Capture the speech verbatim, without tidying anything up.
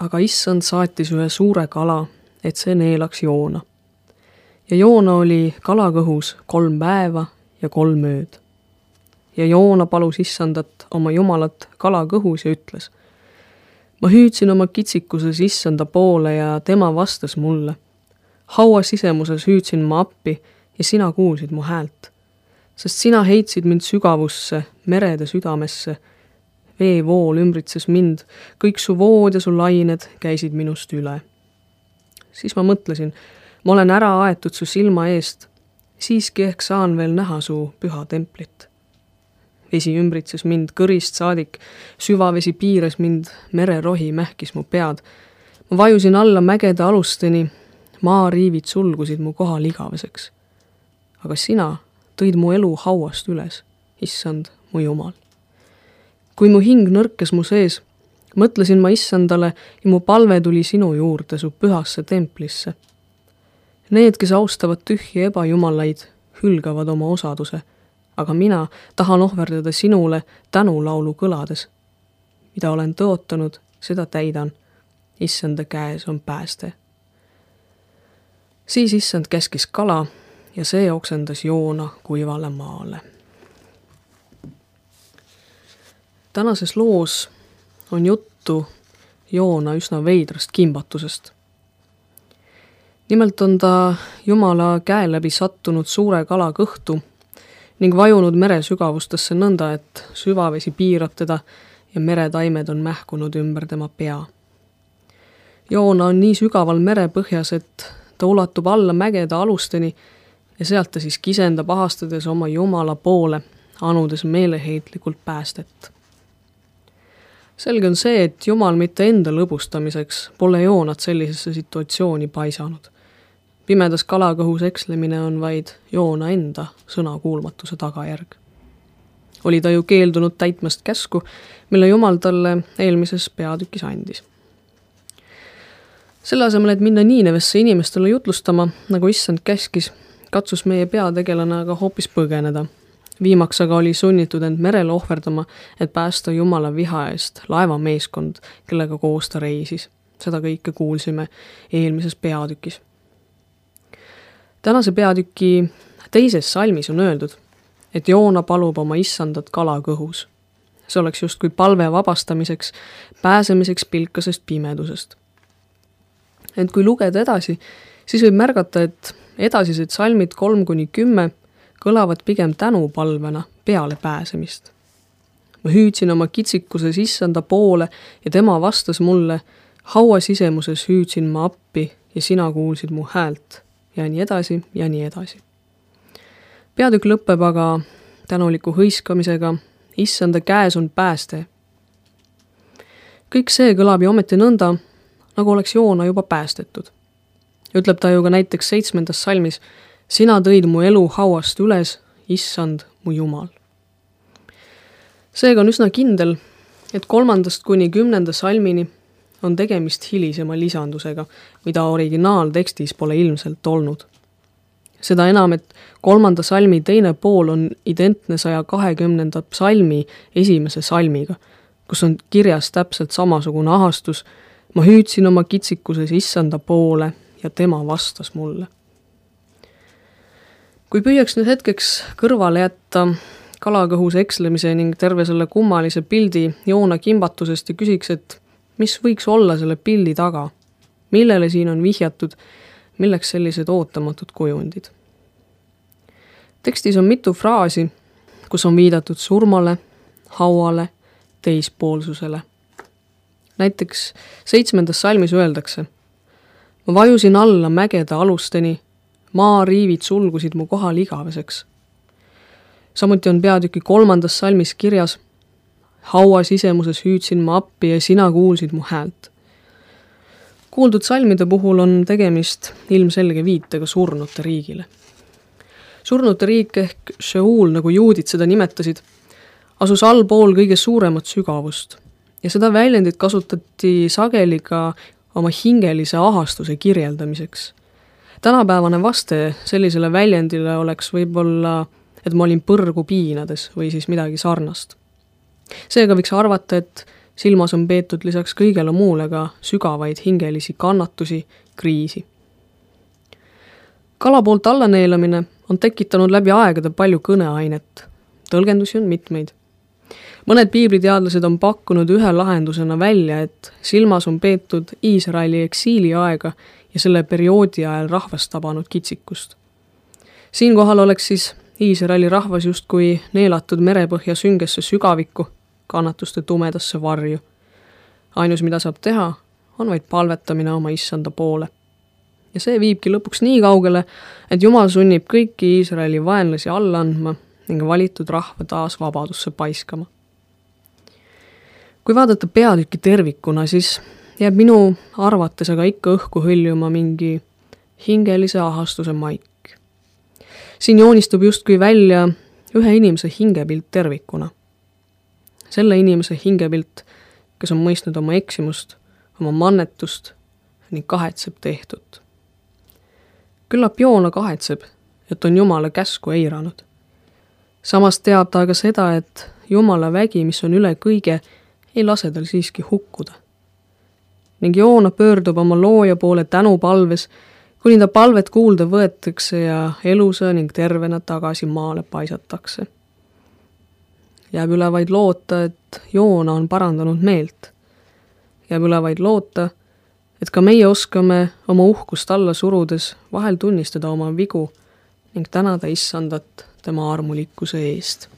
aga issand saatis ühe suure kala, et see neelaks Joona. Ja Joona oli kalakõhus kolm päeva ja kolm ööd. Ja Joona palus issandat oma jumalat kalakõhus ja ütles: ma hüüdsin oma kitsikuses issanda poole ja tema vastas mulle. Haua sisemuses hüüdsin ma appi ja sina kuulsid mu häält. Sest sina heitsid mind sügavusse, merede südamesse. Veevool ümbritses mind, kõik su vood ja su lained käisid minust üle. Siis ma mõtlesin, ma olen ära aetud su silma eest, siiski ehk saan veel näha su püha templit. Vesi ümbritses mind kõrist saadik, süvavesi piires mind, mererohi mähkis mu pead. Ma vajusin alla mägede alusteni, maariivid sulgusid mu kohal igaveseks. Aga sina tõid mu elu hauast üles, issand, mu jumal. Kui mu hing nõrkes mu sees, mõtlesin ma issandale ja mu palve tuli sinu juurde su pühasse templisse. Need, kes austavad tühji ebajumalaid, hülgavad oma osaduse, aga mina tahan ohverdada sinule tänulaulu kõlades. Mida olen tõotanud, seda täidan. Issanda käes on pääste. Siis issand käskis kala ja see oksendas Joona kuivale maale. Tänases loos on juttu Joona üsna veidrast kimbatusest. Nimelt on ta Jumala käe läbi sattunud suure kala kõhtu ning vajunud mere sügavustesse nõnda, et süvavesi piirab teda ja meretaimed on mähkunud ümber tema pea. Joona on nii sügaval merepõhjas, et ta ulatub alla mägede alusteni ja sealt ta siis kisendab ahastades oma Jumala poole, anudes meeleheitlikult päästet. Selge on see, et Jumal mitte enda lõbustamiseks pole Joonat sellisesse situatsiooni paisanud. Pimedas kalakõhus ekslemine on vaid Joona enda sõnakuulmatuse tagajärg. Oli ta ju keeldunud täitmast käsku, mille Jumal talle eelmises peatükis andis. Selle asemel, et minna Niinevesse inimestele jutlustama, nagu issand käskis, katsus meie peategelane aga hoopis põgeneda. Viimaks aga oli sunnitud end merele ohverdama, et päästa Jumala viha eest laevameeskond, kellega koos ta reisis. Seda kõike kuulsime eelmises peatükis. Tänase peatüki teises salmis on öeldud, et Joona palub oma issandat kalakõhus. See oleks justkui palve vabastamiseks, pääsemiseks pilkasest pimedusest. Ent kui lugeda edasi, siis võib märgata, et edasised salmid kolm kuni kümme kõlavad pigem tänupalvena peale pääsemist. Ma hüüdsin oma kitsikuses issanda poole ja tema vastas mulle, haua sisemuses hüüdsin ma appi ja sina kuulsid mu häält ja nii edasi ja nii edasi. Peatükk lõpeb aga tänuliku hõiskamisega, issanda käes on pääste. Kõik see kõlab ju ometi nõnda, nagu oleks Joona juba päästetud. Ütleb ta ju ka näiteks seitsmendas salmis, sina tõid mu elu hauast üles, issand mu jumal. Seega on üsna kindel, et kolmandast kuni kümnenda salmini on tegemist hilisema lisandusega, mida originaaltekstis pole ilmselt olnud. Seda enam, et kolmanda salmi teine pool on identne saja kahekümnenda salmi esimese salmiga, kus on kirjas täpselt samasugune ahastus, ma hüüdsin oma kitsikuses issanda poole ja tema vastas mulle. Kui püüaks nüüd hetkeks kõrvale jätta kalakõhus ekslemise ning terve selle kummalise pildi Joona kimbatusest ja küsiks, et mis võiks olla selle pildi taga, millele siin on vihjatud, milleks sellised ootamatud kujundid. Tekstis on mitu fraasi, kus on viidatud surmale, hauale, teispoolsusele. Näiteks seitsmendas salmis öeldakse, ma vajusin alla mägede alusteni, maariivid sulgusid mu kohal igaveseks. Samuti on peatüki kolmandas salmis kirjas, haua sisemuses hüüdsin ma appi ja sina kuulsid mu häält. Kuuldud salmide puhul on tegemist ilmselge viitega surnute riigile. Surnute riik ehk Sheol, nagu juudid seda nimetasid, asus allpool kõige suuremat sügavust ja seda väljendit kasutati sageli ka oma hingelise ahastuse kirjeldamiseks. Tänapäevane vaste sellisele väljendile oleks võib-olla, et ma olin põrgu piinades või siis midagi sarnast. Seega võiks arvata, et silmas on peetud lisaks kõigele muule ka sügavaid hingelisi kannatusi, kriisi. Kala poolt allaneelamine on tekitanud läbi aegade palju kõneainet. Tõlgendusi on mitmeid. Mõned piibliteadlased on pakkunud ühe lahendusena välja, et silmas on peetud Iisraeli eksiili aega ja selle perioodi ajal rahvast tabanud kitsikust. Siinkohal oleks siis Iisraeli rahvas justkui neelatud merepõhja süngesse sügavikku, kannatuste tumedasse varju. Ainus, mida saab teha, on vaid palvetamine oma issanda poole. Ja see viibki lõpuks nii kaugele, et Jumal sunnib kõiki Iisraeli vaenlasi alla andma ning valitud rahva taas vabadusse paiskama. Kui vaadata peatükki tervikuna, siis jääb minu arvates aga ikka õhku hõljuma mingi hingelise ahastuse maik. Siin joonistub justkui välja ühe inimese hingepilt tervikuna. Selle inimese hingepilt, kes on mõistnud oma eksimust, oma mannetust ning kahetseb tehtut. Küllap Joona kahetseb, et on Jumala käsku eiranud. Samas teab ta aga seda, et Jumala vägi, mis on üle kõige, ei lase tal siiski hukkuda. Ning Joona pöördub oma looja poole tänupalves, kuni ta palvet kuulda võetakse ja elusa ning tervena tagasi maale paisatakse. Jääb üle vaid loota, et Joona on parandanud meelt. Jääb üle vaid loota, et ka meie oskame oma uhkust alla surudes vahel tunnistada oma vigu ning tänada issandat tema armulikkuse eest.